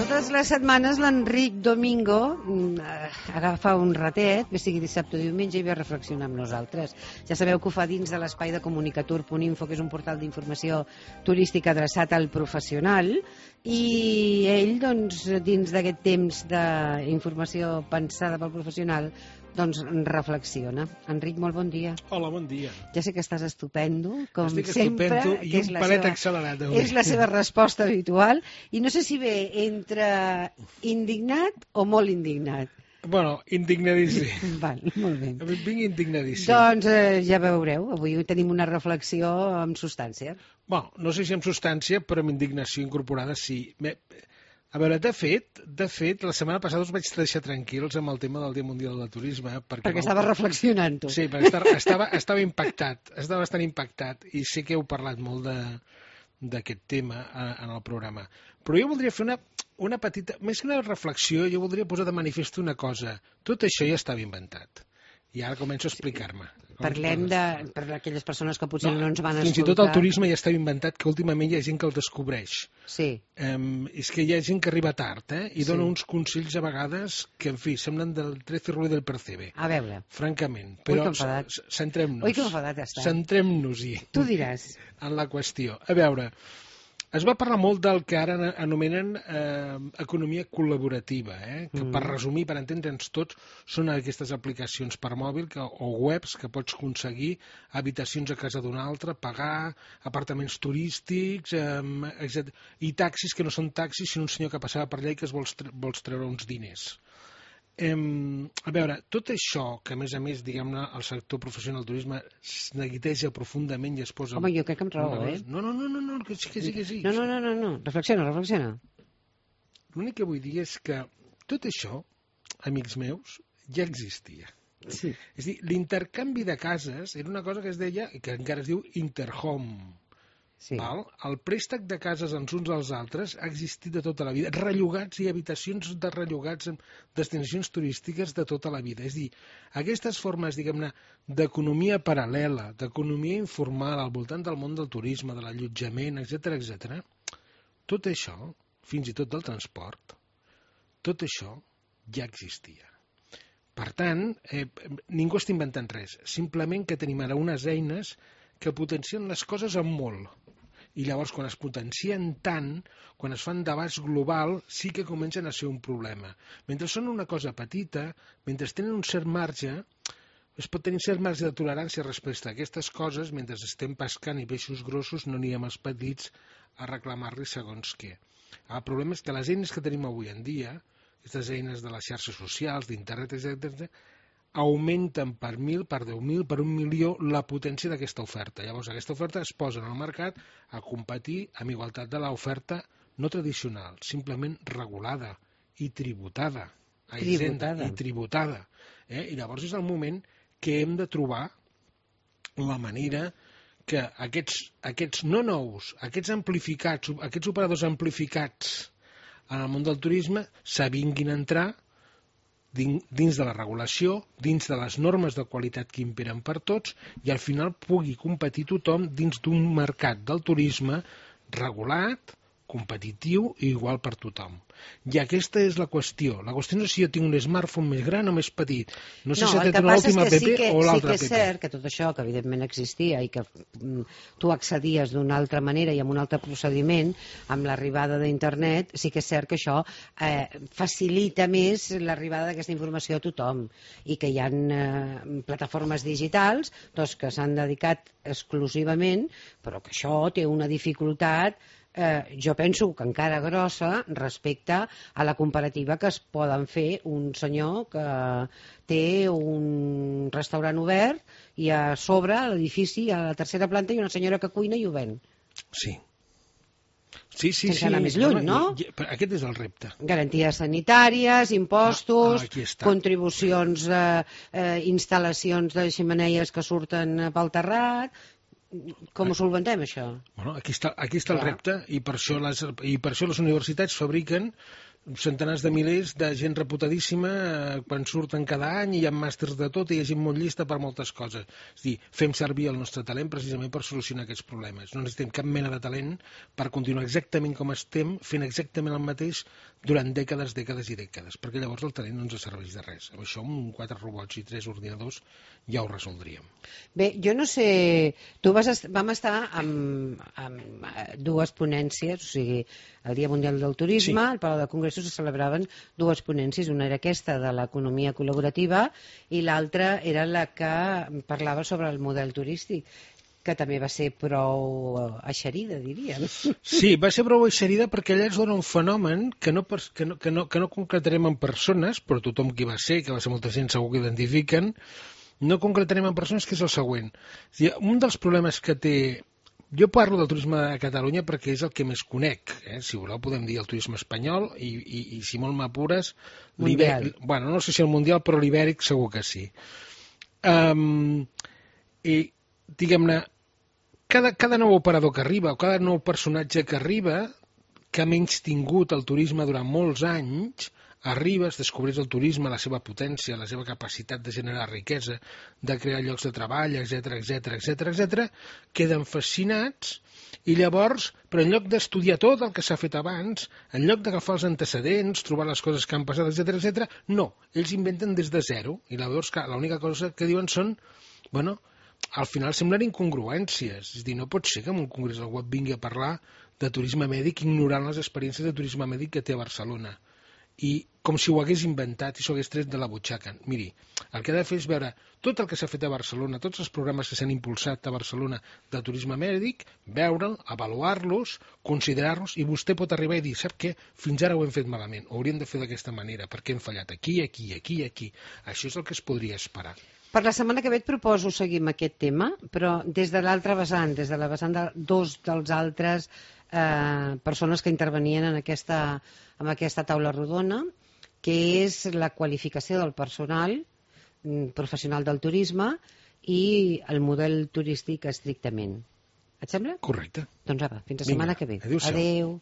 Totes les setmanes l'Enric Domingo agafa un ratet, bé sigui dissabte o diumenge, i ve a reflexionar amb nosaltres. Ja sabeu que ho fa dins de l'espai de comunicatur.info, que és un portal d'informació turística adreçat al professional, i ell, doncs, dins d'aquest temps d'informació pensada pel professional, doncs reflexiona. Enric, molt bon dia. Hola, bon dia. Ja sé que estàs estupendo, com Estic sempre. estupendo i un palet accelerat avui. És la seva resposta habitual, i no sé si ve entre indignat o molt indignat. Bueno, indignadíssim. Val, molt bé. Vinc indignadíssim. Doncs ja veureu, avui tenim una reflexió amb substància. Bueno, no sé si amb substància, però amb indignació incorporada sí. A veure, de fet, la setmana passada us vaig deixar tranquils amb el tema del Dia Mundial del Turisme. Perquè estaves reflexionant, tu. Sí, perquè estava impactat, estava bastant impactat, i sé que heu parlat molt d'aquest tema en el programa. Però jo voldria fer una petita, més que una reflexió, jo voldria posar de manifest una cosa. Tot això ja estava inventat. I ara començo a explicar-me. Parlem per aquelles persones que potser no ens van escoltar. Fins i tot el turisme ja estava inventat, que últimament hi ha gent que el descobreix. Sí. És que hi ha gent que arriba tard, i dona uns consells a vegades que, en fi, semblen del 13 Rue del Percebe. A veure. Francament. Però centrem-nos. Oi, que enfadat està. Centrem-nos-hi. Tu diràs. En la qüestió. A veure, es va parlar molt del que ara anomenen economia col·laborativa, que per resumir, per entendre'ns tots, són aquestes aplicacions per mòbil o webs que pots aconseguir habitacions a casa d'un altre, pagar apartaments turístics, etc. I taxis que no són taxis, sinó un senyor que passava per allà i que vols treure uns diners. A veure, tot això, que a més, diguem-ne, el sector professional del turisme es neguiteja profundament i es posa... Home, jo crec que em raó, No, que sí. No, reflexiona. L'únic que vull dir és que tot això, amics meus, ja existia. Sí. És a dir, l'intercanvi de cases era una cosa que es deia, que encara es diu interhome. Sí. El préstec de cases els uns als altres ha existit de tota la vida. Rellogats i habitacions de rellogats en destinacions turístiques de tota la vida. És a dir, aquestes formes, diguem-ne, d'economia paral·lela, d'economia informal al voltant del món del turisme, de l'allotjament, etc., tot això, fins i tot del transport, tot això ja existia. Per tant, ningú està inventant res. Simplement que tenim ara unes eines que potencien les coses en molt. I llavors, quan es potencien tant, quan es fan debats global, sí que comencen a ser un problema. Mentre són una cosa petita, mentre tenen un cert marge, es pot tenir un cert marge de tolerància respecte a aquestes coses, mentre estem pescant i peixos grossos no anirem els petits a reclamar-li segons què. El problema és que les eines que tenim avui en dia, aquestes eines de les xarxes socials, d'internet, etc., augmenten per 1.000, per 10.000, per 1.000.000 la potència d'aquesta oferta. Llavors, aquesta oferta es posa en el mercat a competir amb igualtat de l'oferta no tradicional, simplement regulada i tributada. I llavors és el moment que hem de trobar la manera que aquests no nous, aquests amplificats, aquests operadors amplificats en el món del turisme s'avinguin a entrar dins de la regulació, dins de les normes de qualitat que imperen per tots, i al final pugui competir tothom dins d'un mercat del turisme regulat, competitiu i igual per tothom. I aquesta és la qüestió. La qüestió no és si jo tinc un smartphone més gran o més petit. No sé si ha tret l'última app o l'altra app. Sí que és cert que tot això, que evidentment existia i que tu accedies d'una altra manera i amb un altre procediment, amb l'arribada d'internet, sí que és cert que això facilita més l'arribada d'aquesta informació a tothom, i que hi ha plataformes digitals que s'han dedicat exclusivament, però que això té una dificultat jo penso que encara grossa respecte a la comparativa que es poden fer un senyor que té un restaurant obert i a sobre, a l'edifici, a la tercera planta, hi ha una senyora que cuina i ho ven. Sí. Sense anar més lluny, no? Aquest és el repte. Garanties sanitàries, impostos, contribucions, instal·lacions de xemeneies que surten pel terrat. Com ho solventem, això? Bueno, aquí està el repte, i per això les universitats fabriquen centenars de milers de gent reputadíssima quan surten cada any i hi ha màsters de tot i hi ha gent molt llista per moltes coses. És a dir, fem servir el nostre talent precisament per solucionar aquests problemes. No necessitem cap mena de talent per continuar exactament com estem, fent exactament el mateix durant dècades, dècades i dècades, perquè llavors el talent no ens serveix de res. Amb això, amb 4 robots i 3 ordinadors, ja ho resoldríem. Bé, jo no sé... Vam estar amb 2 ponències, o sigui, el Dia Mundial del Turisme, al Palau de Congressos se celebraven 2 ponències, una era aquesta de l'economia col·laborativa i l'altra era la que parlava sobre el model turístic, que també va ser prou eixerida, diríem. Sí, va ser prou eixerida perquè allà es dona un fenomen que no concretarem en persones, però tothom qui va ser, que va ser molta gent segur que identifiquen, no concretarem en persones, que és el següent. Un dels problemes que té... Jo parlo del turisme a Catalunya perquè és el que més conec. Si voleu podem dir el turisme espanyol i si molt m'apures... Bueno, no sé si el mundial, però l'ibèric segur que sí. I, diguem-ne, cada nou operador que arriba o cada nou personatge que arriba, que ha menys tingut el turisme durant molts anys, arriba, es descobreix el turisme, la seva potència, la seva capacitat de generar riquesa, de crear llocs de treball, etc, queden fascinats i llavors, però en lloc d'estudiar tot el que s'ha fet abans, en lloc d'agafar els antecedents, trobar les coses que han passat, etc, no, ells inventen des de zero i llavors l'única cosa que diuen són, bueno, al final semblen incongruències, és a dir, no pot ser que en un congrés algú et vingui a parlar de turisme mèdic ignorant les experiències de turisme mèdic que té a Barcelona. I com si ho hagués inventat i s'ho hagués tret de la butxaca. Miri, el que ha de fer és veure tot el que s'ha fet a Barcelona, tots els programes que s'han impulsat a Barcelona de turisme mèdic, veure'l, avaluar-los, considerar-los, i vostè pot arribar i dir, sap què? Fins ara ho hem fet malament, ho hauríem de fer d'aquesta manera, perquè hem fallat aquí. Això és el que es podria esperar. Per la setmana que ve et proposo seguir amb aquest tema, però des de l'altra vessant, des de la vessant de 2 dels altres persones que intervenien en aquesta taula rodona, que és la qualificació del personal professional del turisme i el model turístic estrictament. Et sembla? Correcte. Doncs apa, fins la setmana que ve. Adéu-siau. Adéu.